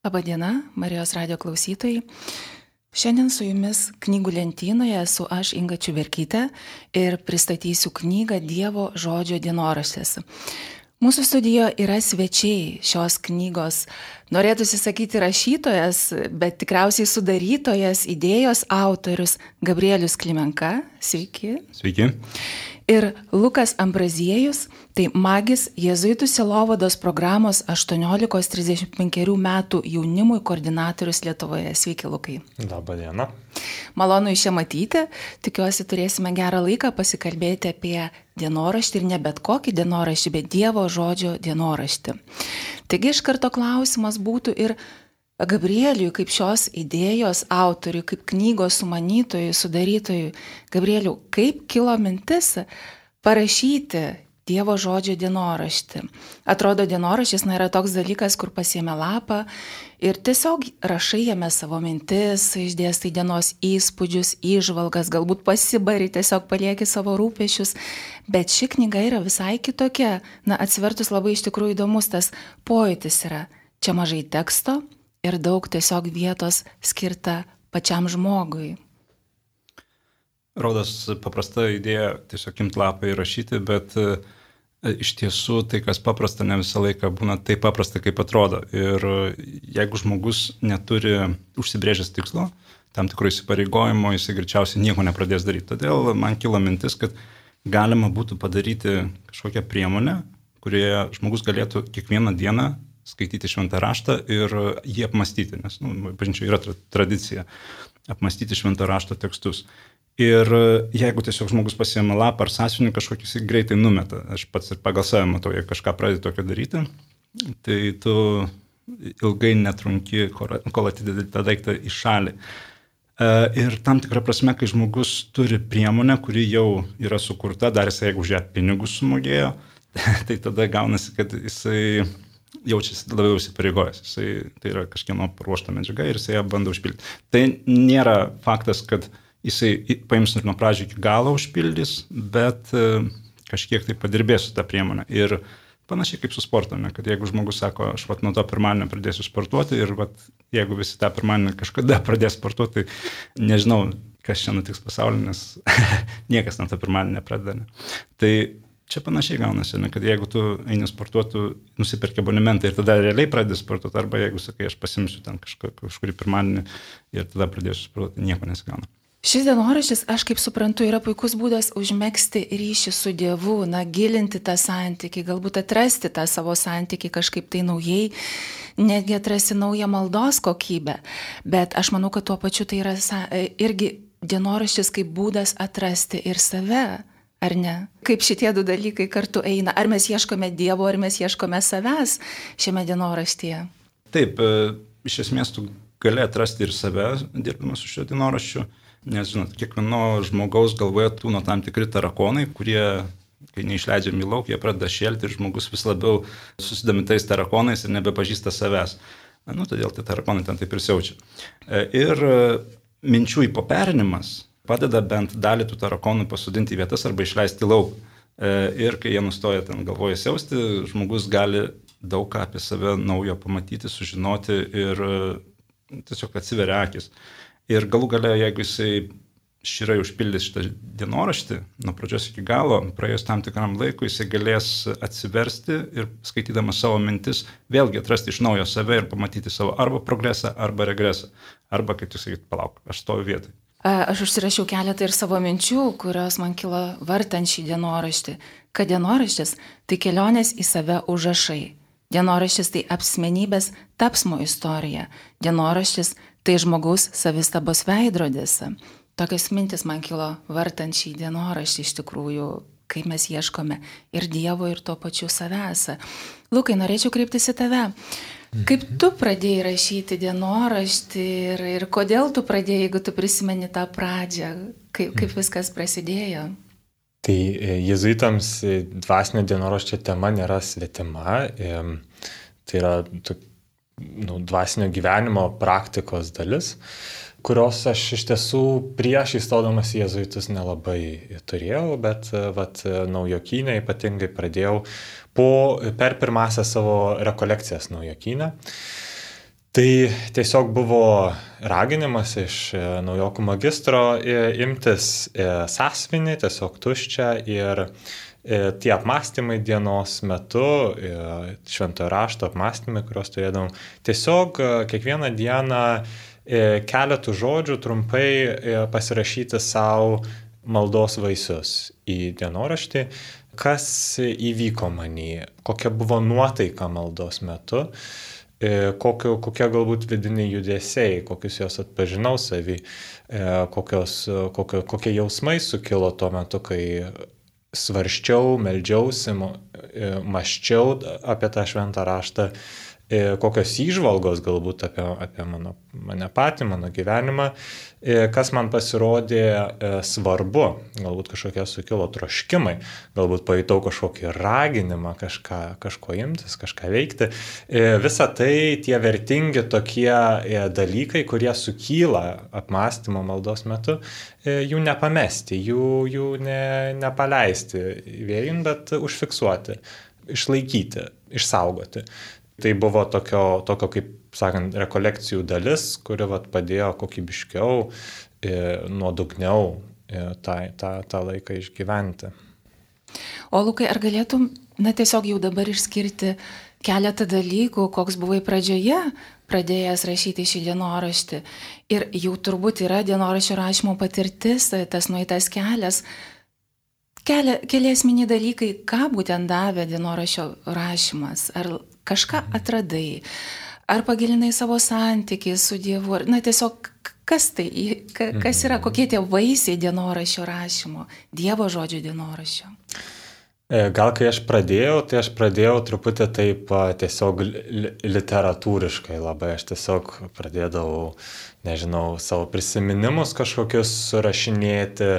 Labadiena, Marijos radijo klausytojai. Šiandien su jumis knygų lentynoje esu aš Inga Čiuberkytė ir pristatysiu knygą Dievo žodžio dienoraštis. Mūsų studijoje yra svečiai šios knygos, norėtųsi sakyti rašytojas, bet tikriausiai sudarytojas, idėjos autorius Gabrielius Klimenka. Sveiki. Sveiki. Ir Lukas Ambraziejus, tai magis Jėzuitų sielovados programos 18-35 metų jaunimui koordinatorius Lietuvoje. Sveiki, Lukai. Labą dieną. Malonu iš čia matyti. Tikiuosi turėsime gerą laiką pasikalbėti apie dienoraštį ir ne bet kokį dienoraštį, bet Dievo žodžio dienoraštį. Taigi iš karto klausimas būtų ir Gabrieliui, kaip šios idėjos autoriui, kaip knygos sumanytojui, sudarytojui. Gabrieliau, kaip kilo mintis parašyti Dievo žodžio dienoraštį? Atrodo, dienoraštis yra toks dalykas, kur pasiėmė lapą ir tiesiog rašai jame savo mintis, išdėstai dienos įspūdžius, įžvalgas, galbūt pasibari, tiesiog palieki savo rūpešius. Bet ši knyga yra visai kitokia. Atsivertus labai iš tikrųjų įdomus tas pojūtis yra. Čia mažai teksto ir daug tiesiog vietos skirta pačiam žmogui. Rodos paprasta idėja tiesiog imti lapą ir rašyti, bet iš tiesų tai, kas paprasta, ne visą laiką būna taip paprasta, kaip atrodo. Ir jeigu žmogus neturi užsibrėžęs tikslo, tam tikrų įsipareigojimo, jisai greičiausiai nieko nepradės daryti. Todėl man kilo mintis, kad galima būtų padaryti kažkokią priemonę, kurioje žmogus galėtų kiekvieną dieną skaityti šventą raštą ir jį apmastyti, nes, bažnyčioje yra tradicija apmastyti šventą rašto tekstus. Ir jeigu tiesiog žmogus pasiėmė lapą ar sąsiuvinį kažkokį, jis greitai numeta. Aš pats ir pagal save matau, jei kažką pradedi tokio daryti, tai tu ilgai netrunki, kol atidedi tą daiktą į šalį. Ir tam tikrą prasme, kai žmogus turi priemonę, kuri jau yra sukurta, dar jisai, jeigu už ją pinigus sumokėjo, tai tada gaunasi, kad jisai jaučiasi labiau įsipareigojęs. Tai yra kažkieno paruošta medžiaga ir jisai ją bando užpildyti. Tai nėra faktas, kad jisai paims ir nuo pradžių iki galo užpildys, bet kažkiek tai padirbės su tą priemonę. Ir panašiai kaip su sportu, kad jeigu žmogus sako, aš nuo to pirmadienio pradėsiu sportuoti ir jeigu visi tą pirmadienį kažkada pradės sportuoti, tai nežinau, kas čia nutiks pasaulyje, nes niekas nuo to pirmadienio nepradeda. Tai čia panašiai gaunasi, kad jeigu tu eini sportuoti, tu nusiperki abonementą ir tada realiai pradedi sportuoti, arba jeigu sakai, aš pasimsiu ten kažkurį pirmadienį ir tada pradėsiu sportuoti, nieko nesigauna. Šis dienoraštis, aš kaip suprantu, yra puikus būdas užmegzti ryšį su Dievu, gilinti tą santykį, galbūt atrasti tą savo santykį kažkaip tai naujai, netgi atrasti naują maldos kokybę. Bet aš manau, kad tuo pačiu tai yra irgi dienoraštis kaip būdas atrasti ir save. Ar ne? Kaip šitie du dalykai kartu eina? Ar mes ieškome Dievo, ar mes ieškome savęs šiame dienoraštyje? Taip, iš esmės tu gali atrasti ir save, dirbdamas su šiuo dienoraščiu, nes, žinot, kiekvieno žmogaus galvoje tūno tam tikri tarakonai, kurie, kai neišleidžiami į lauk, jie pradeda šėlti ir žmogus vis labiau susidomi tais tarakonais ir nebepažįsta savęs. Todėl tie tarakonai ten taip ir siaučia. Ir minčių įpoperinimas padeda bent dalį tų tarakonų pasodinti į vietas arba išleisti lauk. Ir kai jie nustoja ten galvoje siausti, žmogus gali daug ką apie save naujo pamatyti, sužinoti ir tiesiog atsiveria akis. Ir galų gale, jeigu jisai širai užpildys šitą dienoraštį, nuo pradžios iki galo, praėjus tam tikram laikui, jisai galės atsiversti ir skaitydamas savo mintis, vėlgi atrasti iš naujo save ir pamatyti savo arba progresą, arba regresą. Arba, kaip tu sakyt, palauk, aš stoviu vietoj. Aš užsirašiau keletą ir savo minčių, kurios man kilo vartant šį dienoraštį. Kad dienoraštis tai kelionės į save užrašai. Dienoraštis tai apsmenybės tapsmo istorija. Dienoraštis tai žmogaus savistabos veidrodis. Tokios mintis man kilo vartant šį dienoraštį iš tikrųjų, kaip mes ieškome ir Dievo, ir tuo pačiu savęs. Lukai, norėčiau kreiptis į tave. Kaip tu pradėjai rašyti dienoraštį ir kodėl tu pradėjai, jeigu tu prisimeni tą pradžią, kaip viskas prasidėjo? Tai jėzuitams dvasinio dienoraščio tema nėra svetima, tai yra dvasinio gyvenimo praktikos dalis, kurios aš iš tiesų prieš įstodamas į jėzuitus nelabai turėjau, bet Naujokyne ypatingai pradėjau per pirmąsias savo rekolekcijas Naujokyne. Tai tiesiog buvo raginimas iš naujokų magistro imtis sąsiuvinį, tiesiog tuščią, ir tie apmąstymai dienos metu, šventojo rašto apmąstymai, kuriuos turėdavom, tiesiog kiekvieną dieną keletų žodžių trumpai pasirašyti savo maldos vaisius į dienoraštį, kas įvyko manį, kokia buvo nuotaika maldos metu, kokie galbūt vidiniai judesiai, kokius jos atpažinau savį, kokie jausmai sukilo tuo metu, kai svarsčiau, meldžiausi, mąsčiau apie tą šventą raštą, kokios įžvalgos galbūt apie mane patį, mano gyvenimą, kas man pasirodė svarbu, galbūt kažkokie sukilo troškimai, galbūt pajutau kažkokį raginimą kažko imtis, kažką veikti. Visa tai tie vertingi tokie dalykai, kurie sukyla apmąstymo maldos metu, jų nepamesti, jų nepaleisti vėjin, bet užfiksuoti, išlaikyti, išsaugoti. Tai buvo tokio kaip sakant, rekolekcijų dalis, kuri padėjo kokybiškiau, nuodugniau tą laiką išgyventi. O Lukai, ar galėtum, tiesiog jau dabar išskirti keletą dalykų, koks buvai pradžioje pradėjęs rašyti šį dienoraštį? Ir jau turbūt yra dienoraščio rašymo patirtis, tas nueitas kelias. Keli esminiai dalykai, ką būtent davė dienoraščio rašymas? Ar kažką atradai? Ar pagilinai savo santykį su Dievu? Tiesiog kas tai, kas yra, kokie tie vaisiai dienoraščio rašymo, Dievo žodžio dienoraščio? Gal kai aš pradėjau truputį taip tiesiog literatūriškai labai, aš tiesiog pradėdavau, savo prisiminimus kažkokius surašinėti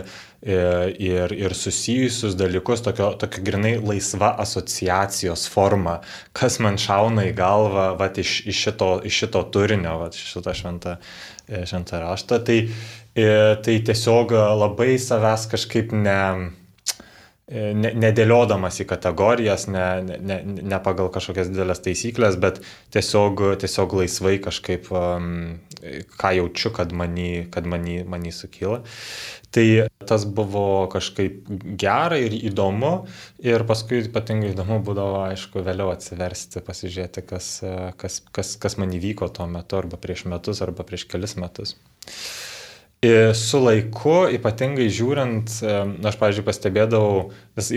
ir susijusius dalykus, tokia grinai laisva asociacijos forma, kas man šauna į galvą iš šito turinio, šitą šventą raštą. Tai tiesiog labai savęs kažkaip nedėliodamas į kategorijas, ne pagal kažkokias didelės taisyklės, bet tiesiog laisvai kažkaip, ką jaučiu, kad manį sukyla. Tai tas buvo kažkaip gera ir įdomu, ir paskui ypatingai įdomu būdavo, aišku, vėliau atsiversti, pasižiūrėti, kas man įvyko tuo metu, arba prieš metus, arba prieš kelis metus. Su laiku, ypatingai žiūrint, aš, pavyzdžiui, pastebėdavau,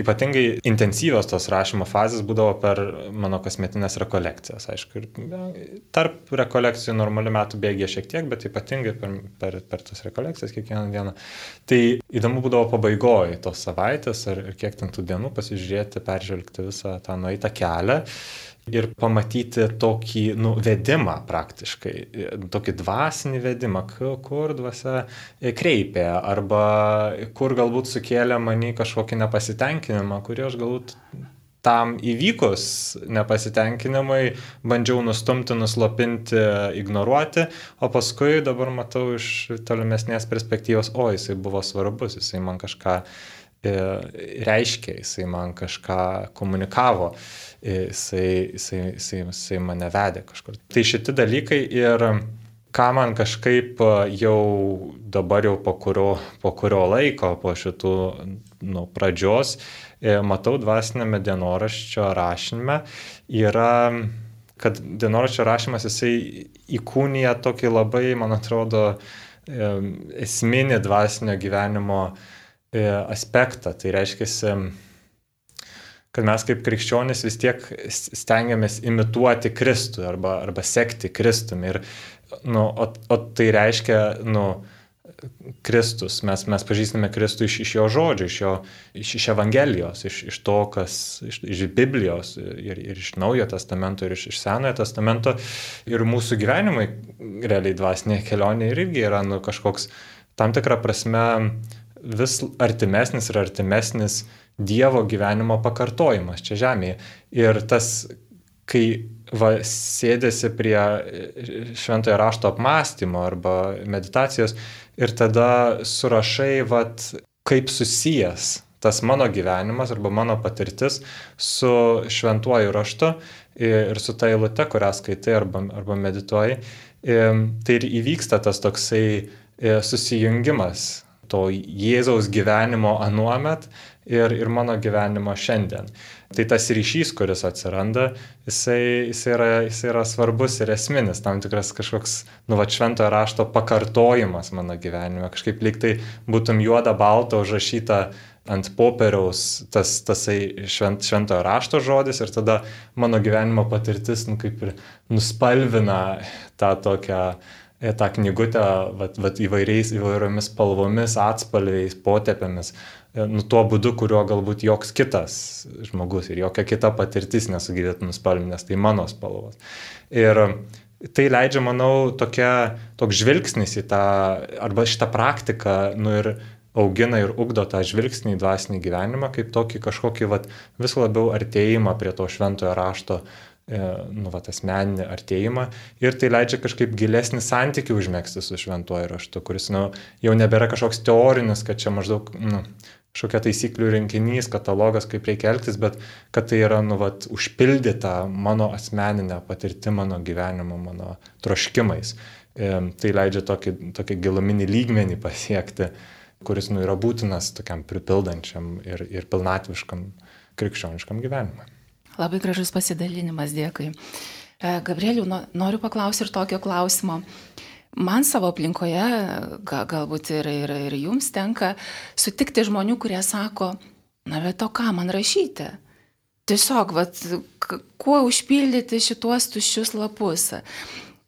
ypatingai intensyvios tos rašymo fazės būdavo per mano kasmetinės rekolekcijas. Aišku, ir tarp rekolekcijų normalių metų bėgė šiek tiek, bet ypatingai per tas rekolekcijas kiekvieną dieną. Tai įdomu būdavo pabaigoje tos savaitės ar kiek ten tų dienų pasižiūrėti, peržvelgti visą tą nueitą kelią. Ir pamatyti tokį vedimą praktiškai, tokį dvasinį vedimą, kur dvasia kreipė, arba kur galbūt sukėlė manį kažkokį nepasitenkinimą, kurį aš galbūt tam įvykus nepasitenkinimai bandžiau nustumti, nuslopinti, ignoruoti, o paskui dabar matau iš tolimesnės perspektyvos, jisai buvo svarbus, jisai man kažką reiškia, jisai man kažką komunikavo. Jisai mane vedė kažkur. Tai šitie dalykai ir ką man kažkaip jau dabar po kurio laiko, po šitų pradžios, matau dvasinėme dienoraščio rašyme, yra, kad dienoraščio rašymas jisai įkūnija tokį labai, man atrodo, esminį dvasinio gyvenimo aspektą. Tai reiškia, kad mes kaip krikščionys vis tiek stengiamės imituoti Kristų arba sekti Kristumi. Ir, o tai reiškia, Kristus, mes pažįstame Kristų iš jo žodžių, iš Evangelijos, iš to, iš Biblijos ir iš Naujojo testamento ir iš Senojo testamento. Ir mūsų gyvenimai, realiai dvasinėje kelionėje irgi yra kažkoks tam tikrą prasme vis artimesnis ir artimesnis Dievo gyvenimo pakartojimas čia žemėje. Ir tas, kai sėdėsi prie šventojo rašto apmąstymo arba meditacijos ir tada surašai, kaip susijęs tas mano gyvenimas arba mano patirtis su šventuoju raštu, ir su ta eilute, kurią skaitai arba medituoji, tai ir įvyksta tas toksai susijungimas to Jėzaus gyvenimo anuomet ir mano gyvenimo šiandien. Tai tas ryšys, kuris atsiranda, jisai yra svarbus ir esminis, tam tikras kažkoks, šventojo rašto pakartojimas mano gyvenime. Kažkaip lyg tai būtum juoda balta užrašyta ant popieriaus tasai šventojo rašto žodis ir tada mano gyvenimo patirtis, kaip ir nuspalvina tą knygutę įvairiomis spalvomis, atspalviais, potepėmis. Tuo būdu, kuriuo galbūt joks kitas žmogus ir jokia kita patirtis nesugebėtų nuspalvinti, nes tai mano spalvos. Ir tai leidžia, manau, toks žvilgsnis į tą, arba šitą praktiką, ir augina ir ugdo tą žvilgsnį į dvasinį gyvenimą, kaip tokį kažkokį vis labiau artėjimą prie to šventojo rašto, asmeninį artėjimą. Ir tai leidžia kažkaip gilesnį santykį užmegzti su šventuoju raštu, kuris jau nebėra kažkoks teorinis, kad čia maždaug kažkokia taisyklių rinkinys, katalogas, kaip reikia elgtis, bet kad tai yra užpildyta mano asmeninė patirti, mano gyvenimo, mano troškimais. Tai leidžia tokį giluminį lygmenį pasiekti, kuris yra būtinas tokiam pripildančiam ir pilnatviškam krikščioniškam gyvenimui. Labai gražus pasidalinimas, dėkui. Gabrieliau, noriu paklausti ir tokio klausimo. Man savo aplinkoje, galbūt ir jums tenka sutikti žmonių, kurie sako, bet o ką man rašyti? Tiesiog, kuo užpildyti šituos tuščius lapus?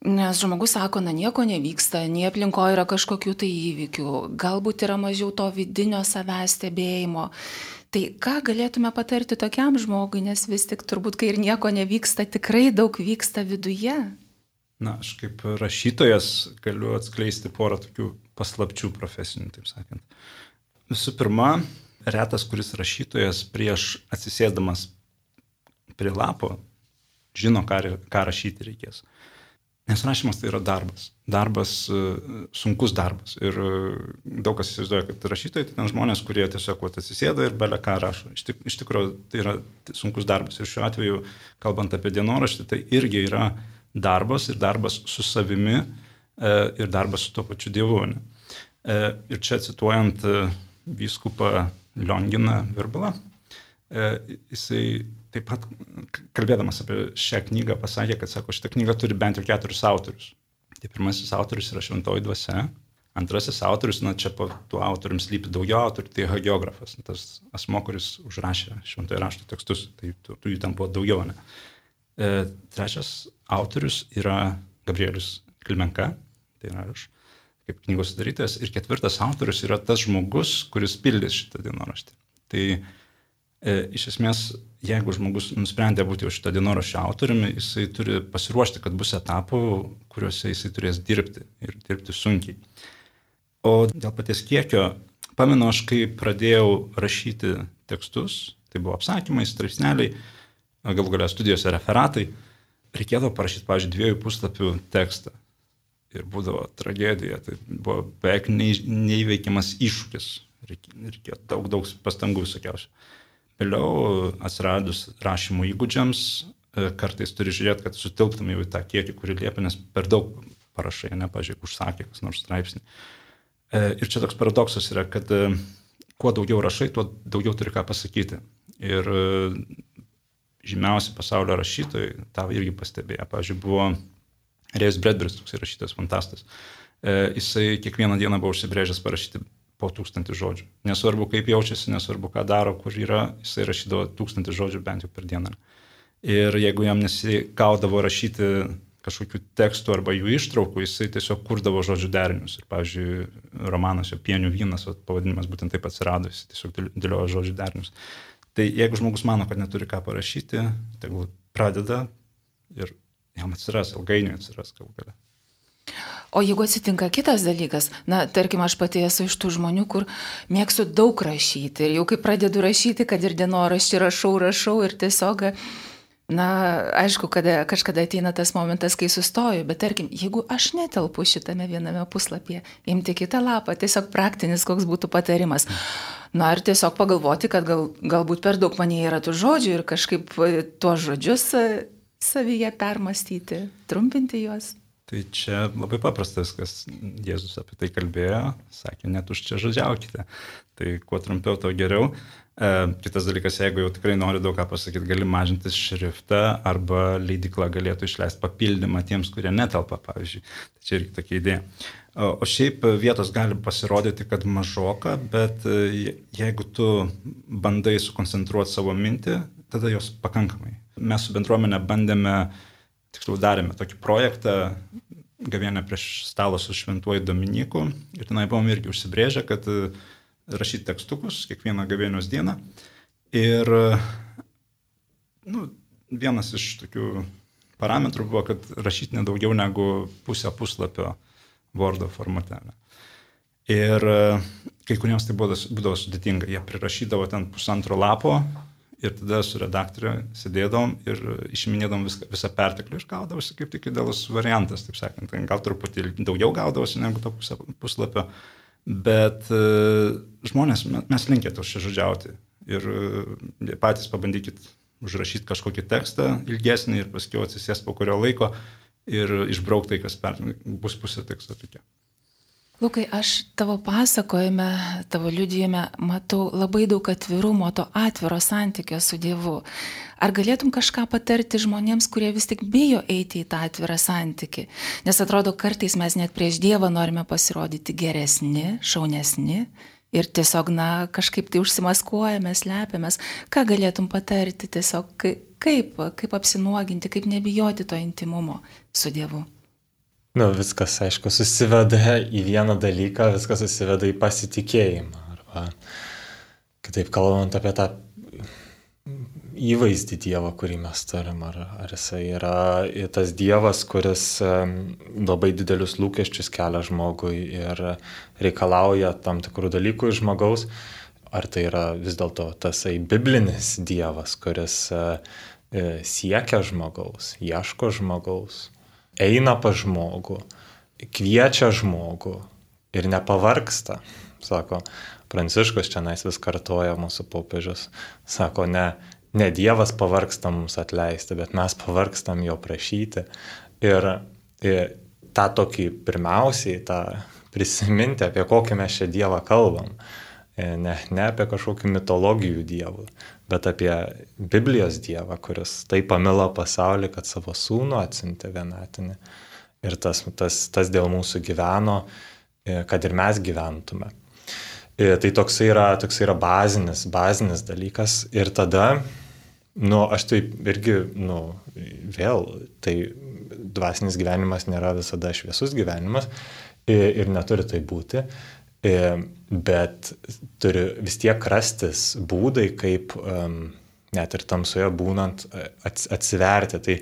Nes žmogus sako, nieko nevyksta, nei aplinkoje yra kažkokių tai įvykių, galbūt yra mažiau to vidinio savęs stebėjimo. Tai ką galėtume patarti tokiam žmogui, nes vis tik turbūt, kai ir nieko nevyksta, tikrai daug vyksta viduje? Aš kaip rašytojas galiu atskleisti porą tokių paslapčių profesinių, taip sakant. Visų pirma, retas, kuris rašytojas prieš atsisėsdamas prie lapo žino, ką rašyti reikės. Nes rašymas tai yra darbas. Sunkus darbas. Ir daug kas įsivaizduoja, kad rašytojai tai ten žmonės, kurie tiesiog atsisėda ir bele ką rašo. Iš tikrųjų, tai yra sunkus darbas. Ir šiuo atveju, kalbant apie dienoraštį, tai irgi yra darbas ir darbas su savimi ir darbas su tuo pačiu Dievu. Ir čia cituojant vyskupą Lionginą Virbalą, jisai taip pat, kalbėdamas apie šią knygą, pasakė, kad šitą knygą turi bent jau 4 autorius. Tai pirmasis autorius yra Šventoji Dvasia, antrasis autorius, čia po tuo autorium slypi daugiau autorių, tai hagiografas, tas asmo, kuris užrašė Šventojo rašto tekstus, tai jų tam buvo daugiau. Trečias autorius yra Gabrielius Klimenka, tai yra aš, kaip knygos sudarytojas, ir ketvirtas autorius yra tas žmogus, kuris pildys šitą dienoraštį. Tai iš esmės, jeigu žmogus nusprendė būti šitą dienoraščio autoriumi, jisai turi pasiruošti, kad bus etapų, kuriuose jisai turės dirbti ir dirbti sunkiai. O dėl paties kiekio, pamenu aš, kai pradėjau rašyti tekstus, tai buvo apsakymai, straipsneliai, galų galia studijose referatai, reikėdavo parašyti, pavyzdžiui, 2 puslapių tekstą. Ir būdavo tragedija, tai buvo beveik neįveikiamas iššūkis, reikėjo daug pastangų visokiausių. Vėliau atsiradus rašymo įgūdžiams, kartais turi žiūrėti, kad sutilptum jau į tą kiekį, kurį liepia, nes per daug parašai, pavyzdžiui, užsakė kas nors straipsnį. Ir čia toks paradoksas yra, kad kuo daugiau rašai, tuo daugiau turi ką pasakyti. Ir žymiausi pasaulio rašytojai tą irgi pastebėjo. Pavyzdžiui, buvo Rėjus Bredberis, toks rašytojas fantastas. Jisai kiekvieną dieną buvo užsibrėžęs parašyti po 1000 žodžių. Nesvarbu, kaip jaučiasi, nesvarbu, ką daro, kur yra, jisai rašydavo 1000 žodžių bent jau per dieną. Ir jeigu jam nesigaudavo rašyti kažkokių tekstų arba jų ištraukų, jisai tiesiog kurdavo žodžių derinius. Ir, pavyzdžiui, romanas jo Pienių vynas, pavadinimas būtent taip atsirado, jisai tiesiog dėliojo žodžių derinius. Tai jeigu žmogus mano, kad neturi ką parašyti, tegul pradeda ir jam atsiras, ilgainiui atsiras galų gale. O jeigu atsitinka kitas dalykas, tarkim, aš pati esu iš tų žmonių, kur mėgstu daug rašyti ir jau kai pradedu rašyti, kad ir dienoraštį rašau ir tiesiog, aišku, kažkada ateina tas momentas, kai sustoju, bet tarkim, jeigu aš netelpu šitame viename puslapyje, imti kitą lapą, tiesiog praktinis, koks būtų patarimas. Ir tiesiog pagalvoti, kad galbūt per daug manyje yra tų žodžių ir kažkaip tuos žodžius savyje permastyti, trumpinti juos? Tai čia labai paprastas, kas Jėzus apie tai kalbėjo, sakė, netuščiažodžiaukite. Tai kuo trumpiau, to geriau. Kitas dalykas, jeigu jau tikrai nori daug ką pasakyti, gali mažinti šriftą arba leidykla galėtų išleisti papildymą tiems, kurie netelpa, pavyzdžiui. Tai čia irgi tokia idėja. O šiaip vietos gali pasirodyti, kad mažoka, bet jeigu tu bandai sukoncentruoti savo mintį, tada jos pakankamai. Mes su bendruomenė bandėme, tiksliau darėme tokį projektą, gavėnią prieš stalą su Šventuoju Dominiku ir tenai buvom irgi užsibrėžę, kad rašyti tekstukus kiekvieną gavėnios dieną. Ir vienas iš tokių parametrų buvo, kad rašyti nedaugiau negu pusę puslapio Wordo formate. Ir kai kuriems tai būdavo sudėtinga. Jie prirašydavo ten 1,5 lapo ir tada su redaktoriu sėdėdavom ir išiminėdavom visą perteklių ir gaudavosi kaip tik idealus variantas, taip sakant. Gal truputį daugiau gaudavosi negu to pusę puslapio. Bet žmonės, mes linkę tuščiažodžiauti ir patys pabandykit užrašyti kažkokį tekstą ilgesnį ir paskui atsisės po kurio laiko ir išbraukti tai, kas bus pusė teksto tokia. Lukai, aš tavo pasakojime, tavo liudijime matau labai daug atvirumo, to atviro santykio su Dievu. Ar galėtum kažką patarti žmonėms, kurie vis tik bijo eiti į tą atvirą santykį? Nes atrodo, kartais mes net prieš Dievą norime pasirodyti geresni, šaunesni ir tiesiog, kažkaip tai užsimaskuojame, slepiamės. Ką galėtum patarti tiesiog, kaip apsinuoginti, kaip nebijoti to intimumo su Dievu? Viskas, aišku, susiveda į vieną dalyką, viskas susiveda į pasitikėjimą. Arba, kitaip kalbant apie tą įvaizdį Dievo, kurį mes turim. Ar jisai yra tas Dievas, kuris labai didelius lūkesčius kelia žmogui ir reikalauja tam tikrų dalykų iš žmogaus. Ar tai yra vis dėlto tasai biblinis Dievas, kuris siekia žmogaus, ieško žmogaus, eina pas žmogų, kviečia žmogų ir nepavargsta. Sako, Pranciškus čia vis kartoja mūsų popiežius. Sako, ne Dievas pavargsta mums atleisti, bet mes pavargstam jo prašyti. Ir tą tokį pirmiausiai, tą prisiminti, apie kokį mes čia Dievą kalbam. Ne apie kažkokį mitologijų dievų, bet apie Biblijos Dievą, kuris taip pamilo pasaulį, kad savo sūnų atsiuntė vienatinį. Ir tas dėl mūsų gyveno, kad ir mes gyventume. Tai toksai yra bazinis dalykas. Ir tada, aš taip irgi, vėl, tai dvasinis gyvenimas nėra visada šviesus gyvenimas ir neturi tai būti. Bet turi vis tiek rastis būdai, kaip net ir tamsoje būnant atsiverti. Tai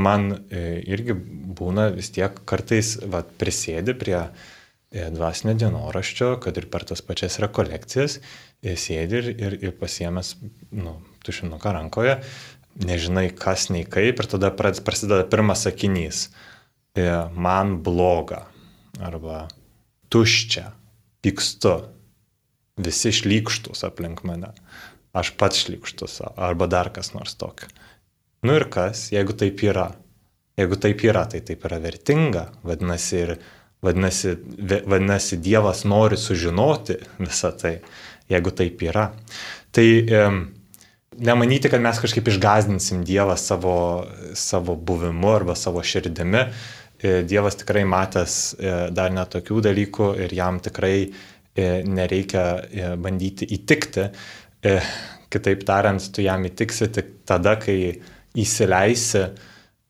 man irgi būna vis tiek kartais prisėdi prie dvasinio dienoraščio, kad ir per tas pačias rekolekcijas sėdi ir pasiėmęs tušinuką rankoje, nežinai kas nei kaip ir tada prasideda pirmas sakinys. Man bloga arba tuščia. Pykstu, visi šlykštus aplink mane, aš pats šlykštus, arba dar kas nors tokio. Ir kas, jeigu taip yra? Jeigu taip yra, tai taip yra vertinga, vadinasi Dievas nori sužinoti visą tai, jeigu taip yra. Tai nemanyti, kad mes kažkaip išgąsdinsim Dievą savo buvimu arba savo širdimi. Dievas tikrai matęs dar netokių dalykų ir jam tikrai nereikia bandyti įtikti. Kitaip tariant, tu jam įtiksi tik tada, kai įsileisi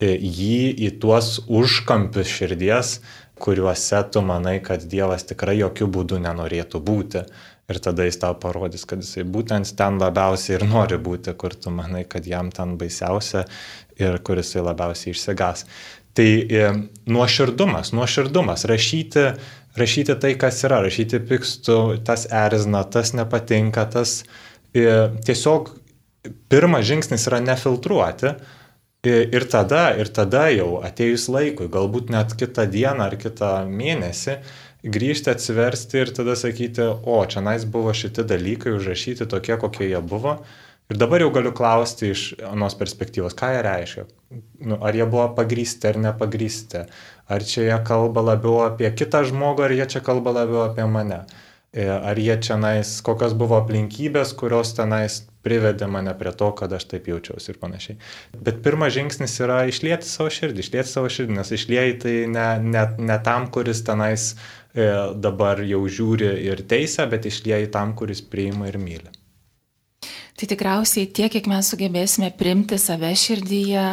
jį į tuos užkampius širdies, kuriuose tu manai, kad Dievas tikrai jokių būdų nenorėtų būti. Ir tada jis tau parodys, kad jisai būtent ten labiausiai ir nori būti, kur tu manai, kad jam ten baisiausia ir kur jisai labiausiai išsigas. Tai nuoširdumas, rašyti tai, kas yra, rašyti pykstu, tas erzina, tas nepatinka, tas tiesiog pirmas žingsnis yra nefiltruoti ir tada jau atėjus laikui, galbūt net kitą dieną ar kitą mėnesį, grįžti, atsiversti ir tada sakyti, čia buvo šitie dalykai užrašyti tokie, kokie jie buvo Ir dabar jau galiu klausti iš anos perspektyvos, ką jie reiškia. Ar jie buvo pagrįsti ar nepagrįsti. Ar čia jie kalba labiau apie kitą žmogų, ar jie čia kalba labiau apie mane. Ar jie čionais, kokios buvo aplinkybės, kurios tenais privedė mane prie to, kad aš taip jaučiausi ir panašiai. Bet pirmas žingsnis yra išlieti savo širdį, nes išlieji tai ne tam, kuris tenais dabar jau žiūri ir teisia, bet išlieji tam, kuris priima ir myli. Tai tikriausiai tiek, kiek mes sugebėsime priimti save širdyje,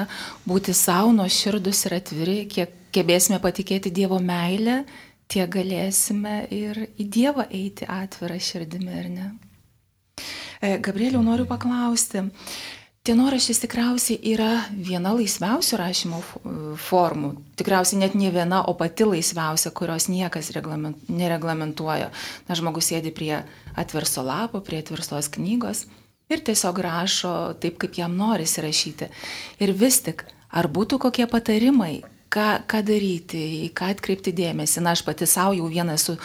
būti savo nuoširdūs ir atviri, kiek gebėsime patikėti Dievo meilę, tiek galėsime ir į Dievą eiti atvirą širdimi, ar ne? Gabrieliau, noriu paklausti, dienoraštis tikriausiai yra viena laisviausių rašymo formų, tikriausiai net ne viena, o pati laisviausia, kurios niekas nereglamentuoja. Na, žmogus sėdi prie atverso lapo, prie atverstos knygos ir tiesiog rašo taip, kaip jam norisi rašyti. Ir vis tik, ar būtų kokie patarimai, ką daryti, į ką atkreipti dėmesį. Na, aš pati savo jau vieną esu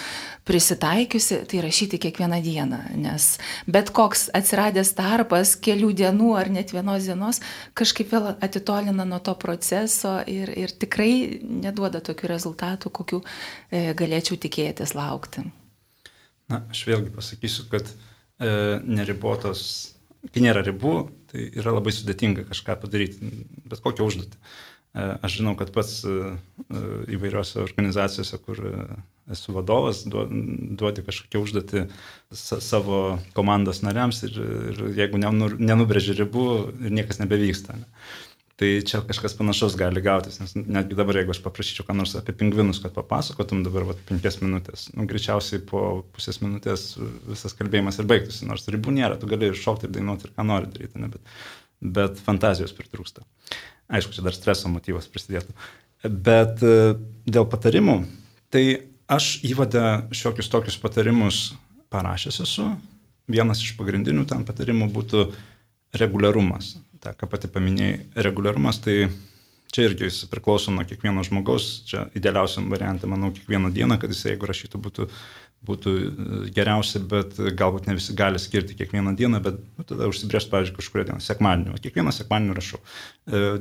prisitaikiusi, tai rašyti kiekvieną dieną, nes bet koks atsiradęs tarpas kelių dienų ar net vienos dienos kažkaip vėl atitolina nuo to proceso ir tikrai neduoda tokių rezultatų, kokių galėčiau tikėtis laukti. Na, aš vėlgi pasakysiu, kad neribotos, kai nėra ribų, tai yra labai sudėtinga kažką padaryti, bet kokią užduotį. Aš žinau, kad pats įvairiose organizacijose, kur esu vadovas, duoti kažkokią užduotį savo komandos nariams ir jeigu nenubrėži ribų ir niekas nebevyksta. Ne? Tai čia kažkas panašaus gali gautis, nes netgi dabar, jeigu aš paprašyčiau ką nors apie pingvinus, kad papasakotum dabar 5 minutės, greičiausiai po pusės minutės visas kalbėjimas ir baigtųsi, nors ribų nėra, tu gali šokti ir dainuoti ir ką nori daryti, ne? Bet fantazijos pritrūksta. Aišku, čia dar streso motyvas prisidėtų. Bet dėl patarimų, tai aš įvadę šiokius tokius patarimus parašęs esu. Vienas iš pagrindinių tam patarimų būtų reguliarumas. Ta, ką pati paminėjai, reguliarumas, tai čia irgi jis priklauso nuo kiekvieno žmogaus. Čia idealiausiam variantui, manau, kiekvieną dieną, kad jis, jeigu rašytų, būtų geriausia, bet galbūt ne visi gali skirti kiekvieną dieną, bet tada užsibrėžti, pavyzdžiui, kažkuria diena, sekmadienį. Kiekvieną sekmadienį rašau.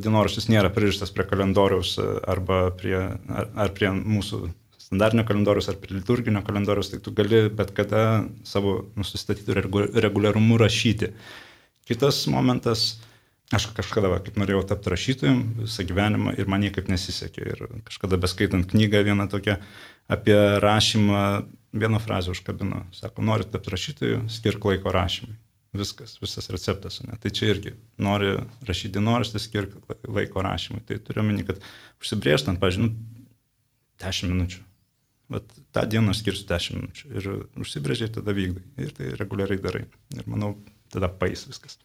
Dienoraštis nėra pririštas prie kalendoriaus arba prie mūsų standartinio kalendoriaus ar prie liturginio kalendoriaus, tai tu gali bet kada savo nusistatytų reguliarumu rašyti. Kitas momentas, aš kažkada, kaip norėjau tapti rašytojum visą gyvenimą ir man niekaip nesisekė. Ir kažkada beskaitant knygą vieną tokią apie rašymą, vieną frazę užkabino. Sako, nori tapti rašytoju, skirk laiko rašymui. Visas receptas. Ne? Tai čia irgi nori rašyti dienoraštį, skirk laiko rašymui. Tai turiu omeny, kad užsibrėžtant, pavyzdžiui, 10 minučių. Bet tą dieną aš skirsiu 10 minučių. Ir užsibrėžiai, tada vykdai. Ir tai reguliariai darai. Ir manau, tada pais viskas.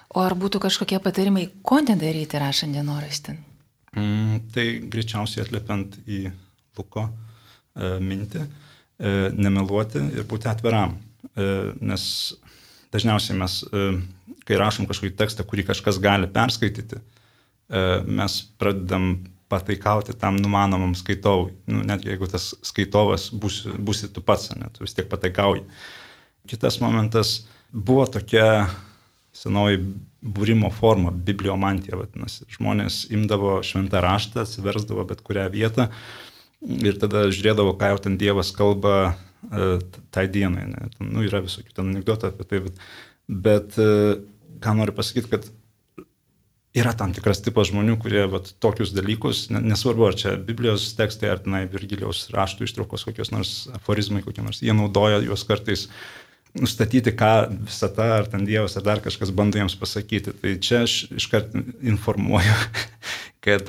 O ar būtų kažkokie patarimai, ko nedaryti rašant dienoraštį? Tai greičiausiai atliepiant į Luko mintį, nemeluoti ir būti atviram. Nes dažniausiai mes, kai rašom kažkokį tekstą, kurį kažkas gali perskaityti, mes pradedam pataikauti tam numanomam skaitovui. Net jeigu tas skaitovas būsi tu pats, ne, tu vis tiek pataikauji. Kitas momentas, buvo tokia senoji būrimo forma, bibliomantija vadinasi. Žmonės imdavo šventą raštą, atsiversdavo bet kurią vietą ir tada žiūrėdavo, ką jau ten Dievas kalba tai dienai. Ne? Yra visokių ten anekdotų apie tai, bet ką noriu pasakyti, kad yra tam tikras tipas žmonių, kurie tokius dalykus, nesvarbu, ar čia Biblijos tekstai, ar tenai Virgilijaus raštų ištraukos kokios nors aforizmai, kokie nors, jie naudoja juos kartais nustatyti, ką visata, ar ten Dievas, ar dar kažkas bando jiems pasakyti. Tai čia aš iškart informuoju, kad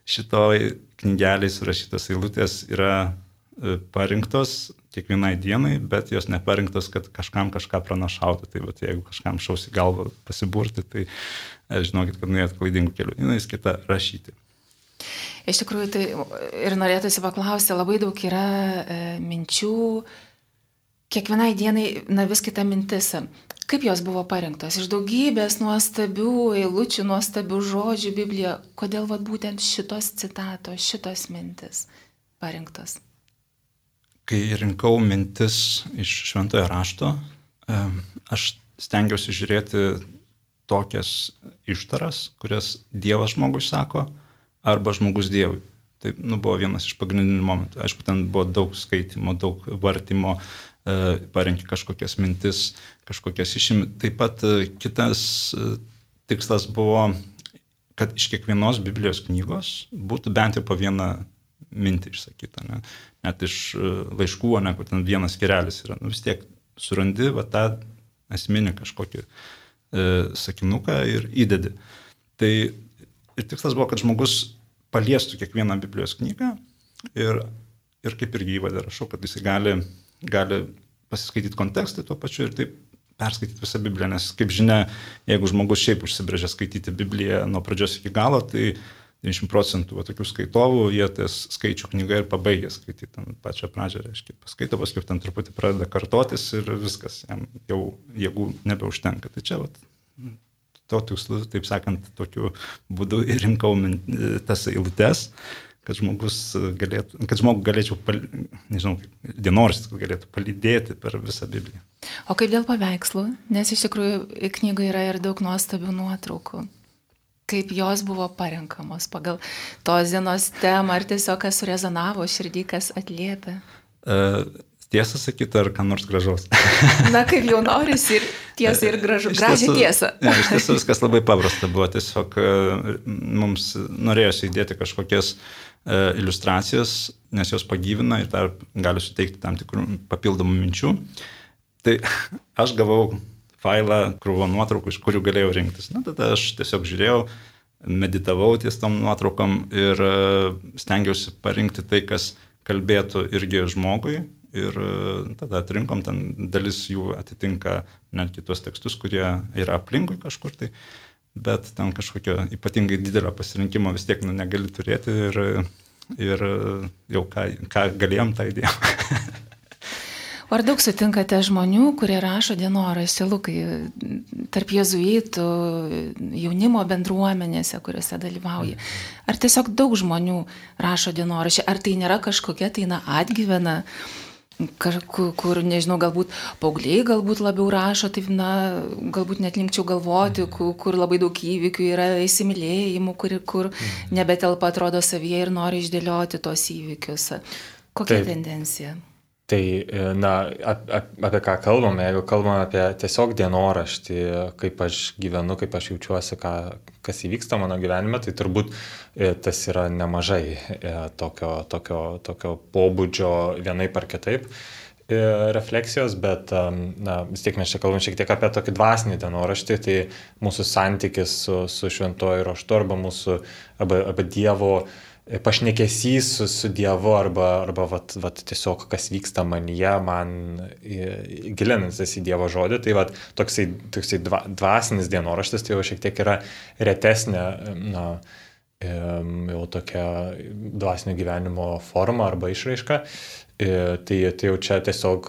šitoj knygeliai surašytos eilutės yra parinktos kiekvienai dienai, bet jos neparinktos, kad kažkam kažką pranašauti. Tai jeigu kažkam šausi galvą pasiburti, tai žinokit, kad nuėjot klaidingų kelių. Jis kita rašyti. Iš tikrųjų, tai ir norėtųsi paklausti, labai daug yra minčių, kiekvienai dienai, vis kita mintis. Kaip jos buvo parinktos? Iš daugybės nuostabių eilučių, nuostabių žodžių Biblijoje. Kodėl būtent šitos citatos, šitos mintis parinktos? Kai rinkau mintis iš šventojo rašto, aš stengiausi žiūrėti tokias ištaras, kurias Dievas žmogui sako, arba žmogus Dievui. Tai buvo vienas iš pagrindinių momentų. Aišku, ten buvo daug skaitimo, daug vartymo, parenki kažkokias mintis, kažkokias išimi. Taip pat kitas tikslas buvo, kad iš kiekvienos Biblijos knygos būtų bent jau po vieną mintį išsakyta. Ne? Net iš laiškų, ne, kur ten vienas skyrelis yra. Vis tiek surandi tą esminį kažkokį sakinuką ir įdedi. Tai ir tikslas buvo, kad žmogus paliestų kiekvieną Biblijos knygą ir kaip ir įvadą rašau, kad jis gali pasiskaityti kontekstą tuo pačiu ir taip perskaityti visą Bibliją, nes kaip žinia, jeigu žmogus šiaip užsibrėžia skaityti Bibliją nuo pradžios iki galo, tai 90% tokių skaitovų, jie tas skaičių knygą ir pabaigia skaityti ten pačią pradžią, reiškia, paskaito, paskui ten truputį pradeda kartotis ir viskas, jam jau jėgų nebeužtenka. Tai čia to tikslu, taip sakant, tokiu būdu ir rinkau tas eilutes, kad žmogų galėčiau, nežinau, dienoraštis galėtų palydėti per visą Bibliją. O kaip dėl paveikslų? Nes iš tikrųjų knygoje yra ir daug nuostabių nuotraukų. Kaip jos buvo parenkamos pagal tos dienos temą, ar tiesiog kas surezonavo širdį, kas atliepia? Tiesą sakyti, ar ką nors gražaus? Na, kaip jau norisi ir tiesa ir gražią tiesą. Iš tiesų viskas labai paprasta buvo, tiesiog mums norėjosi įdėti kažkokias iliustracijas, nes jos pagyvina ir dar gali suteikti tam tikrų papildomų minčių. Tai aš gavau failą, krūvą nuotraukų, iš kurių galėjau rinktis. Na, tada aš tiesiog žiūrėjau, meditavau ties tom nuotraukom ir stengiausi parinkti tai, kas kalbėtų irgi žmogui. Ir tada atrinkom, ten dalis jų atitinka net kitos tekstus, kurie yra aplinkui kažkur tai, bet ten kažkokio ypatingai didelio pasirinkimo vis tiek negali turėti ir jau ką galėjom, tą įdėjom. Ar daug sutinkate žmonių, kurie rašo dienoraštį, Lukai, tarp jėzuitų, jaunimo bendruomenėse, kuriuose dalyvauja? Ar tiesiog daug žmonių rašo dienoraštį? Ar tai nėra kažkokia atgyvena, kur, nežinau, galbūt paaugliai galbūt labiau rašo, taip, galbūt net linkčiau galvoti, kur labai daug įvykių yra įsimylėjimų, kur nebetelpa atrodo savyje ir nori išdėlioti tos įvykius. Kokia tendencija? Tai, apie ką kalbame, jeigu kalbame apie tiesiog dienoraštį, kaip aš gyvenu, kaip aš jaučiuosi, kas įvyksta mano gyvenime, tai turbūt tas yra nemažai tokio pobūdžio vienaip ar kitaip refleksijos, bet vis tiek mes čia kalbame šiek tiek apie tokį dvasinį dienoraštį, tai mūsų santykis su šventuoju raštu arba Dievo pašnekesys su Dievu arba tiesiog kas vyksta manyje, man gilinantis į Dievo žodį, tai toksai dvasinis dienoraštis, tai jau šiek tiek yra retesnė, jau tokia dvasinio gyvenimo forma arba išraiška. Tai jau čia tiesiog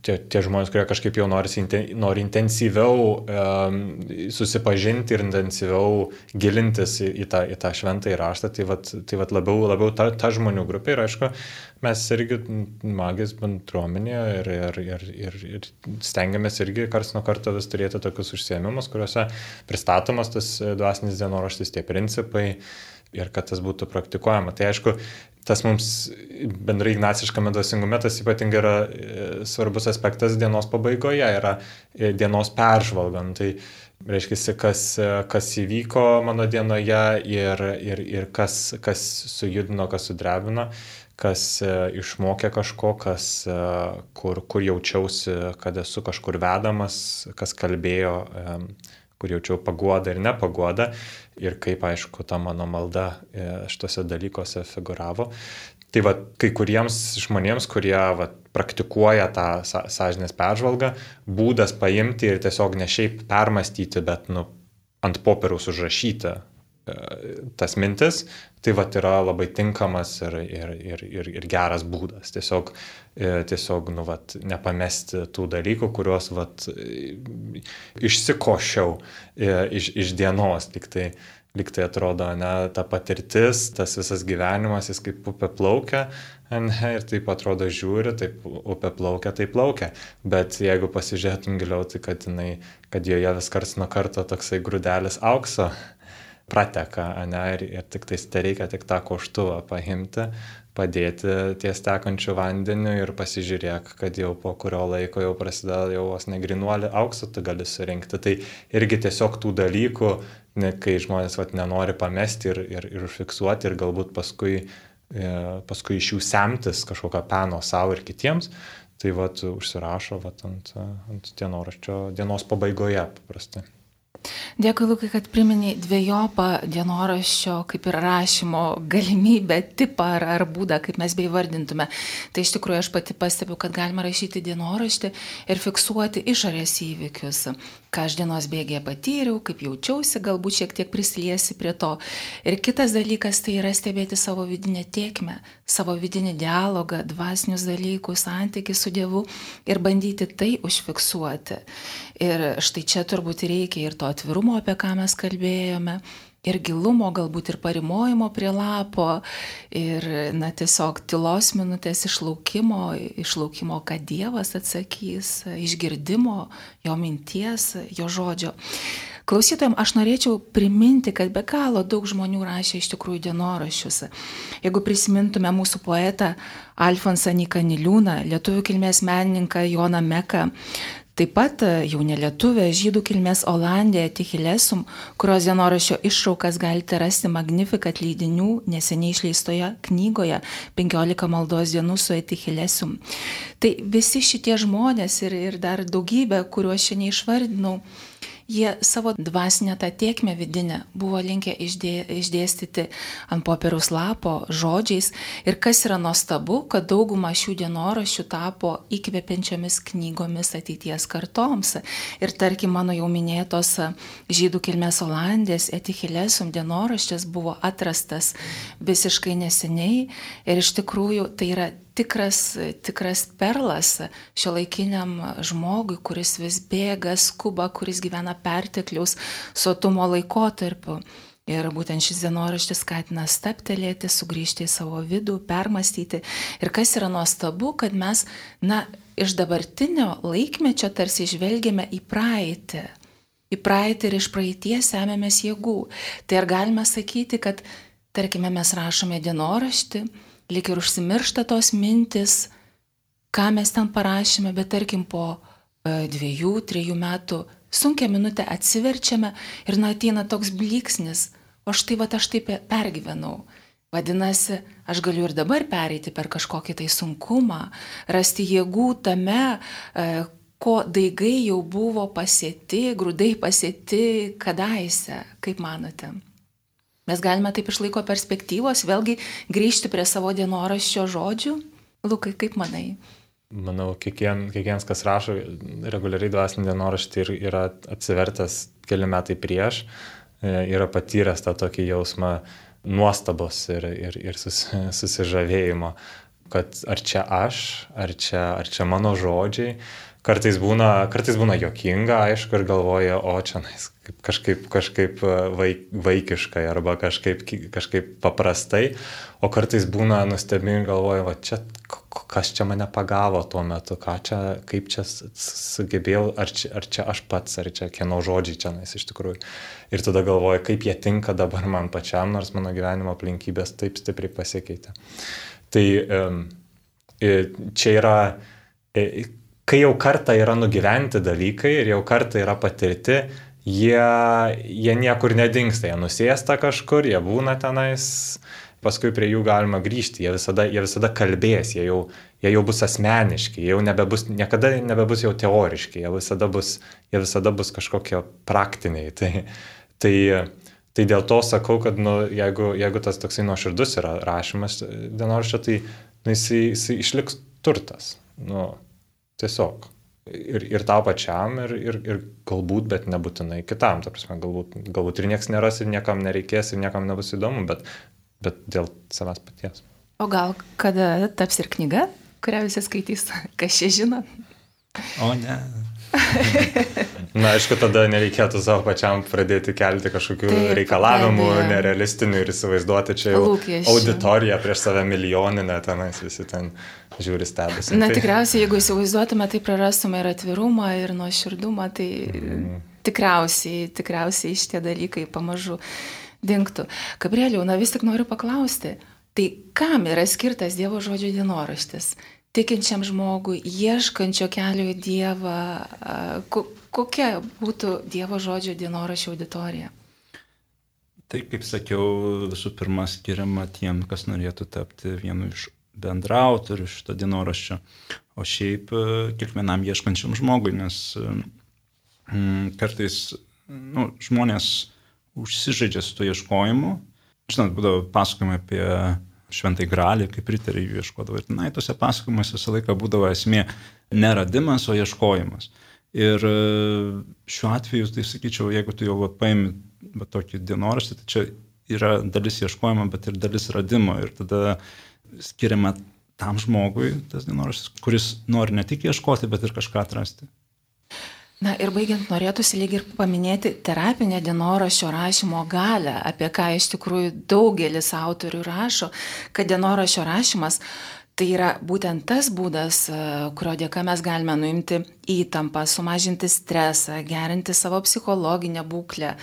tie žmonės, kurie kažkaip jau nori intensyviau susipažinti ir intensyviau gilintis į tą šventąjį raštą, tai labiau ta žmonių grupė. Ir aišku, mes irgi magijos bendruomenėje ir stengiamės irgi karts nuo karto vis turėti tokius užsiėmimus, kuriuose pristatomas tas dvasinis dienoraštis, tie principai ir kad tas būtų praktikuojama. Tai aišku, tas mums bendrai ignaciškame dvasingume tas ypatingai yra svarbus aspektas dienos pabaigoje, yra dienos peržvalgant. Tai reiškia, kas įvyko mano dienoje ir kas sujudino, kas sudrebino, kas išmokė kažko, kur jaučiausi, kad esu kažkur vedamas, kas kalbėjo, kur jaučiau paguodą ir nepaguodą ir kaip, aišku, ta mano malda šitose dalykuose figuravo. Tai kai kuriems žmonėms, kurie praktikuoja tą sąžinės peržvalgą, būdas paimti ir tiesiog ne šiaip permastyti, bet ant popieriaus užrašyti tas mintis, tai yra labai tinkamas ir geras būdas. Tiesiog nepamesti tų dalykų, kuriuos išsikošiau iš dienos, tik tai lyg tai atrodo, ne, ta patirtis, tas visas gyvenimas, jis kaip upė plaukia, ne, ir taip atrodo žiūri, taip upė plaukia, taip plaukia. Bet jeigu pasižiūrėtum giliau, tai kad joje vis karts nuo karto toksai grūdelis aukso prateka, ne, ir tik tai reikia tik tą koštuvą paimti, padėti ties tekančiu vandeniu ir pasižiūrėk, kad jau po kurio laiko jau prasideda jau vos negrinuolį auksą, tu gali surinkti. Tai irgi tiesiog tų dalykų, kai žmonės nenori pamesti ir užfiksuoti ir galbūt paskui iš jų semtis kažkokią peno savo ir kitiems, tai užsirašo ant dienoraščio dienos pabaigoje paprastai. Dėkui, Lukai, kad priminei dviejopą dienoraščio kaip ir rašymo galimybę, tipą ar būdą, kaip mes beivardintume. Tai iš tikrųjų aš pati pastebiu, kad galima rašyti dienoraštį ir fiksuoti išorės įvykius, ką aš dienos bėgėje patyriau, kaip jaučiausi, galbūt šiek tiek prisiliesi prie to. Ir kitas dalykas tai yra stebėti savo vidinę tėkmę, savo vidinį dialogą, dvasinius dalykus, santykį su Dievu ir bandyti tai užfiksuoti. Ir štai čia turbūt reikia ir to atvirumo, apie ką mes kalbėjome, ir gilumo, galbūt ir parimojimo prie lapo, ir tiesiog tylos minutės išlaukimo, kad Dievas atsakys, išgirdimo, jo minties, jo žodžio. Klausytojams aš norėčiau priminti, kad be galo daug žmonių rašė iš tikrųjų dienoraščius. Jeigu prisimintume mūsų poetą Alfonsą Nyką Niliūną, lietuvių kilmės menininką Joną Meką, taip pat jau nelietuvė žydų kilmės Olandė Etichilesum, kurios dienoraščio ištraukas galite rasti Magnificat leidinių neseniai išleistoje knygoje 15 maldos dienų su Etichilesum. Tai visi šitie žmonės ir dar daugybė, kuriuos šiandien išvardinau, jie savo dvasinę tą tėkmę vidinę buvo linkę išdėstyti ant popieriaus lapo žodžiais. Ir kas yra nuostabu, kad dauguma šių dienoraščių tapo įkvepiančiomis knygomis ateities kartoms. Ir tarkim, mano jau minėtos žydų kilmės Olandės Etichilesum dienoraštis buvo atrastas visiškai neseniai. Ir iš tikrųjų tai yra tikras perlas šiuolaikiniam žmogui, kuris vis bėga, skuba, kuris gyvena pertekliaus sotumo laikotarpiu. Ir būtent šis dienoraštis skatina stabtelėti, sugrįžti į savo vidų, permastyti. Ir kas yra nuostabu, kad mes, iš dabartinio laikmečio tarsi žvelgiame į praeitį. Į praeitį ir iš praeities semėmės jėgų. Tai ar galime sakyti, kad, tarkime, mes rašome dienoraštį, lyg ir užsimiršta tos mintis, ką mes ten parašėme, bet tarkim po 2-3 metų sunkią minutę atsiverčiame ir ateina toks blyksnis, o štai aš taip pergyvenau. Vadinasi, aš galiu ir dabar pereiti per kažkokį tai sunkumą, rasti jėgų tame, ko daigai jau buvo pasėti, grūdai pasėti kadaise, kaip manote? Mes galime taip iš laiko perspektyvos vėlgi grįžti prie savo dienoraščio žodžių. Lukai, kaip manai? Manau, kiekvienas, kas rašo reguliariai dvasinį dienoraštį ir yra atsivertęs keli metai prieš, yra patyręs tą tokį jausmą nuostabos ir susižavėjimo, kad ar čia aš, ar čia mano žodžiai. Kartais būna juokinga, aišku, ir galvoja, o čia kažkaip vaikiškai arba kažkaip paprastai, o kartais būna nustebimi ir galvoja, kas čia mane pagavo tuo metu, kaip čia sugebėjau, ar čia aš pats, ar čia kieno žodžiai čia iš tikrųjų. Ir tada galvoja, kaip jie tinka dabar man pačiam, nors mano gyvenimo aplinkybės taip stipriai pasikeitė. Tai čia yra... Kai jau kartą yra nugyventi dalykai ir jau kartą yra patirti, jie niekur nedingsta, jie nusėsta kažkur, jie būna tenais, paskui prie jų galima grįžti, jie visada kalbės, jie jau bus asmeniški, jie jau niekada nebebus jau teoriški, jie visada bus kažkokie praktiniai. Tai dėl to sakau, kad jeigu tas toksai nuoširdus yra rašymas dienoraščio, tai jisai išliks turtas. Tiesiog. Ir tau pačiam, ir galbūt, bet nebūtinai kitam. Ta prasme, galbūt ir nieks neras, ir niekam nereikės, ir niekam nebus įdomu, bet dėl savęs paties. O gal kada taps ir knyga, kurią visi skaitys? Kas čia žino? O ne. Na, aišku, tada nereikėtų savo pačiam pradėti kelti kažkokių reikalavimų nerealistinių ir įsivaizduoti čia jau auditoriją prieš save milijoninę, tenais visi ten žiūri stebisi. Na, tikriausiai, jeigu įsivaizduotume, tai prarastume ir atvirumą, ir nuoširdumą, tai tikriausiai šitie dalykai pamažu dingtų. Gabrieliau, na vis tik noriu paklausti, tai kam yra skirtas Dievo žodžio dienoraštis? Tikinčiam žmogui, ieškančio kelio į Dievą, kokia būtų Dievo žodžio dienoraščio auditorija? Tai, kaip sakiau, visų pirma skiriama tiem, kas norėtų tapti vienu iš bendraautorių šito dienoraščio, o šiaip kiekvienam ieškančiam žmogui, nes kartais žmonės užsižaidžia su to ieškojimu. Žinot, būdavo pasakojama apie Šventai Gralį, kaip riteriai jų ieškodavo. Ir tose pasakojimuose visą laiką būdavo esmė neradimas, o ieškojimas. Ir šiuo atveju, tai sakyčiau, jeigu tu jau paimi tokį dienoraštį, tai čia yra dalis ieškojimo, bet ir dalis radimo. Ir tada skiriama tam žmogui tas dienoraštis, kuris nori ne tik ieškoti, bet ir kažką atrasti. Na ir baigiant, norėtųsi lyg ir paminėti terapinę dienoraščio rašymo galią, apie ką iš tikrųjų daugelis autorių rašo, kad dienoraščio rašymas tai yra būtent tas būdas, kurio dėka mes galime nuimti įtampą, sumažinti stresą, gerinti savo psichologinę būklę.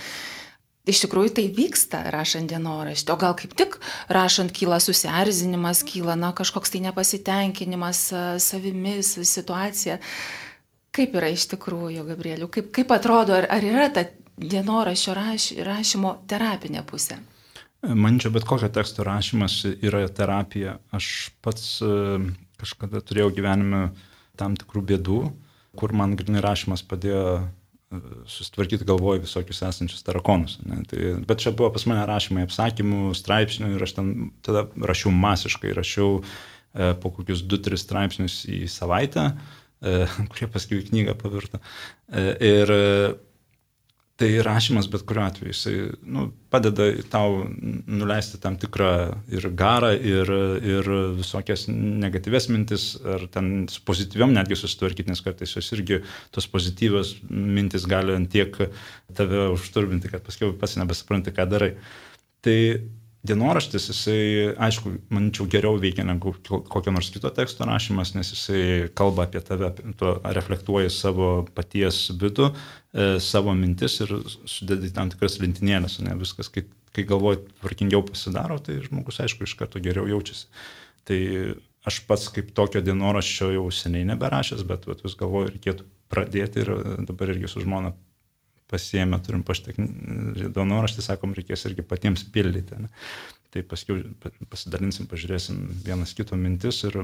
Iš tikrųjų tai vyksta rašant dienoraštį, o gal kaip tik rašant kyla susierzinimas, kyla kažkoks tai nepasitenkinimas savimis, situacija. Kaip yra iš tikrųjų, Gabrieliau? Kaip atrodo, ar yra ta dienoraščio rašymo terapinė pusė? Manyčiau, bet kokio teksto rašymas yra terapija. Aš pats kažkada turėjau gyvenime tam tikrų bėdų, kur man grynai rašymas padėjo susitvarkyti galvoj visokius esančius tarakonus. Bet čia buvo pas mane rašymai apsakymų, straipsnių ir aš ten tada rašiau masiškai, rašiau po kokius 2-3 straipsnius į savaitę, kurie paskui į knygą pavirto. Ir tai rašymas bet kuriuo atveju, jisai padeda tau nuleisti tam tikrą ir garą, ir visokias negatyves mintis, ar ten su pozityviom netgi susitvarkyti, nes kartais jos irgi tos pozityvios mintis gali tiek tave užturbinti, kad paskui pats nebesupranti, ką darai. Tai dienoraštis, jisai, aišku, manyčiau, geriau veikia negu kokio nors kito teksto rašymas, nes jisai kalba apie tave, reflektuoja savo paties vidų, savo mintis ir sudedi tam tikras lentynėles, ne viskas, kai galvoji tvarkingiau pasidaro, tai žmogus, aišku, iš karto geriau jaučiasi. Tai aš pats kaip tokio dienoraščio jau seniai neberašęs, bet vis galvoju, reikėtų pradėti ir dabar irgi su žmona pasiėmė, turim dienoraštį, sakom, reikės irgi patiems pildyti. Ne? Tai paskui pasidalinsim, pažiūrėsim vienas kito mintis ir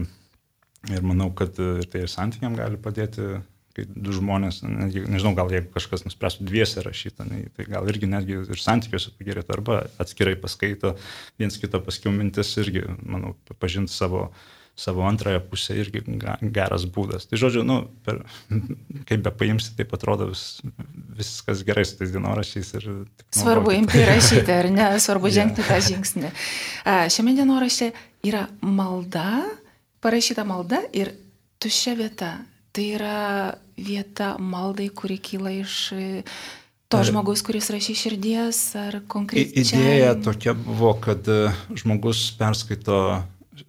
manau, kad tai ir santykiam gali padėti, kai du žmonės, nežinau, gal jeigu kažkas nuspręstų dviese rašyti, tai gal irgi netgi ir santykiuose pagerėtų, arba atskirai paskaito viens kito paskiau mintis irgi, manau, pažinti savo antrąją pusę irgi geras būdas. Tai žodžiu, kaip be paimsi, taip atrodo viskas gerai su tais dienoraščiais. Svarbu imti rašyti, ar ne? Svarbu žengti tą žingsnį. Šiame dienorašte yra malda, parašyta malda ir tuščia vieta. Tai yra vieta maldai, kuri kyla iš to žmogus, kuris rašė širdies ar konkrečiai. Idėja tokia buvo, kad žmogus perskaito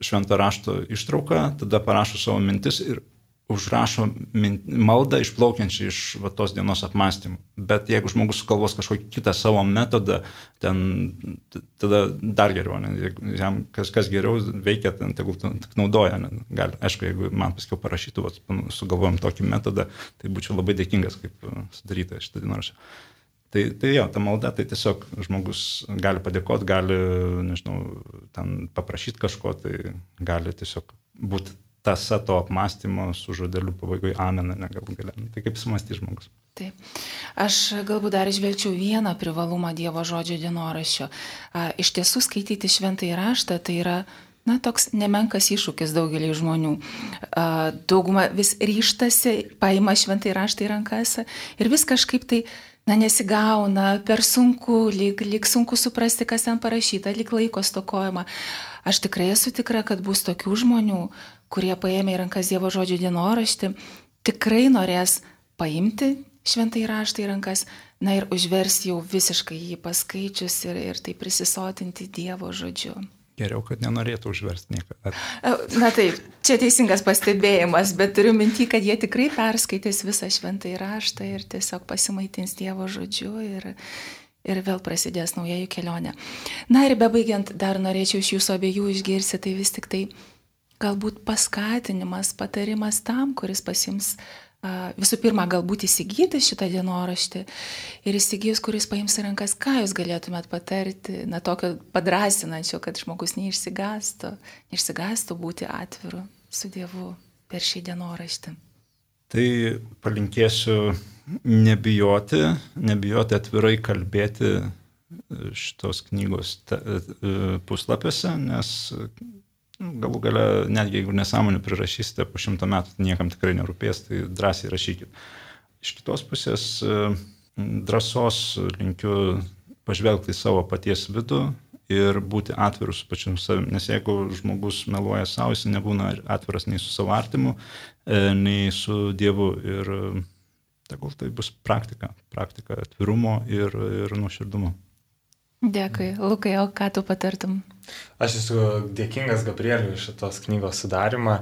švento rašto ištrauką, tada parašo savo mintis ir užrašo maldą išplaukiančią iš tos dienos apmąstymų. Bet jeigu žmogus sugalvos kažkokį kitą savo metodą, tada dar geriau. Jam kas geriau veikia, tegul tik naudoja. Gali, aišku, jeigu man paskiau parašytų, sugalvojom tokį metodą, tai būčiau labai dėkingas, kaip sudaryta šitą dienoraštą. Tai jo, ta malda, tai tiesiog žmogus gali padėkoti, gali, nežinau, ten paprašyti kažko, tai gali tiesiog būti tąsa to apmąstymo su žodeliu pabaigoje amen, galbūt galia. Tai kaip sumąstys žmogus. Taip. Aš galbūt dar išvelčiau vieną privalumą Dievo žodžio dienoraščio. Iš tiesų skaityti šventąjį raštą tai yra toks nemenkas iššūkis daugelį žmonių. Dauguma vis ryžtasi, paima šventąjį raštą į rankas ir vis kažkaip tai nesigauna, per sunku, lyg sunku suprasti, kas ten parašyta, lyg laiko stokojama. Aš tikrai esu tikra, kad bus tokių žmonių, kurie paėmė į rankas Dievo žodžio dienoraštį, tikrai norės paimti šventąjį raštą į rankas, na ir užversti jau visiškai jį paskaičius ir tai prisisotinti Dievo žodžiu. Geriau, kad nenorėtų užversti niekada. Na taip, čia teisingas pastebėjimas, bet turiu minty, kad jie tikrai perskaitys visą šventąjį raštą ir tiesiog pasimaitins Dievo žodžiu ir vėl prasidės nauja jų kelionė. Na ir bebaigiant, dar norėčiau iš jūsų abiejų išgirsti, tai vis tik tai galbūt paskatinimas, patarimas tam, kuris pasiims visų pirma, galbūt įsigyti šitą dienoraštį ir įsigijus, kuris paims į rankas, ką jūs galėtumėt patarti, na tokio padrasinančio, kad žmogus neišsigąstų būti atviru su Dievu per šį dienoraštį. Tai palinkėsiu nebijoti atvirai kalbėti šitos knygos puslapiuose, nes galų gale, netgi jeigu nesąmonę prirašysite po 100 metų, niekam tikrai nerūpės, tai drąsiai rašykit. Iš kitos pusės drąsos linkiu pažvelgti į savo paties vidų ir būti atvirus su pačiu savimi, nes jeigu žmogus meluoja savo, jis nebūna atviras nei su savo artimu, nei su Dievu ir tegul tai bus praktika atvirumo ir nuoširdumo. Dėkui. Lukai, o ką tu patartum? Aš esu dėkingas Gabrieliui iš šitos knygos sudarimą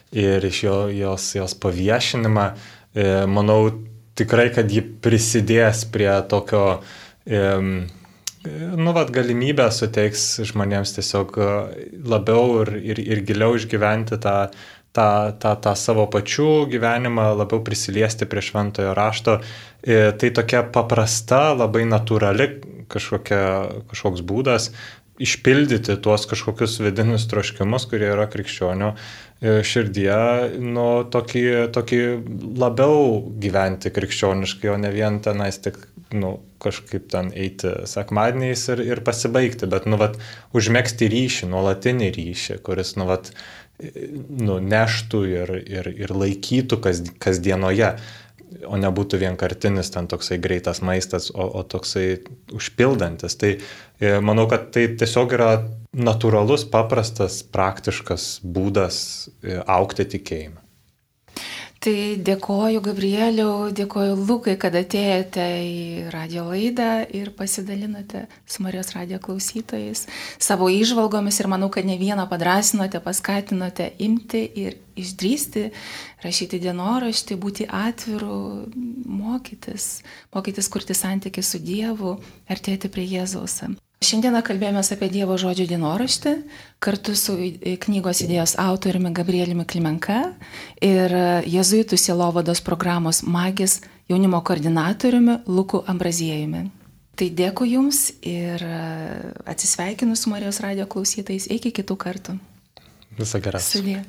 ir iš jos paviešinimą. Manau tikrai, kad ji prisidės prie tokio, galimybę suteiks žmonėms tiesiog labiau ir giliau išgyventi tą savo pačių gyvenimą, labiau prisiliesti prie šventojo rašto. Tai tokia paprasta, labai natūrali kažkoks būdas išpildyti tuos kažkokius vidinius troškimus, kurie yra krikščionių širdyje, tokį labiau gyventi krikščioniškai, o ne vien tenais tik kažkaip ten eiti sekmadieniais ir pasibaigti, bet užmegzti ryšį, nuolatinį ryšį, kuris neštų ir laikytų kasdienoje, o nebūtų vienkartinis ten toksai greitas maistas, o toksai užpildantis. Tai manau, kad tai tiesiog yra natūralus, paprastas, praktiškas būdas augti tikėjime. Tai dėkoju Gabrieliau, dėkoju Lukai, kad atėjote į radio laidą ir pasidalinote su Marijos radijo klausytojais savo įžvalgomis ir manau, kad ne vieną padrasinote, paskatinote imti ir išdrįsti, rašyti dienoraštį, būti atviru, mokytis kurti santykį su Dievu, artėti prie Jėzaus. Šiandieną kalbėjomės apie Dievo žodžio dienoraštį kartu su knygos idėjos autoriumi Gabrieliumi Klimenka ir jėzuitų sielovados programos Magis jaunimo koordinatoriumi Luku Ambraziejumi. Tai dėkui Jums ir atsisveikinu su Marijos radijo klausytojais. Iki kitų kartų. Viso geriausio. Sudie.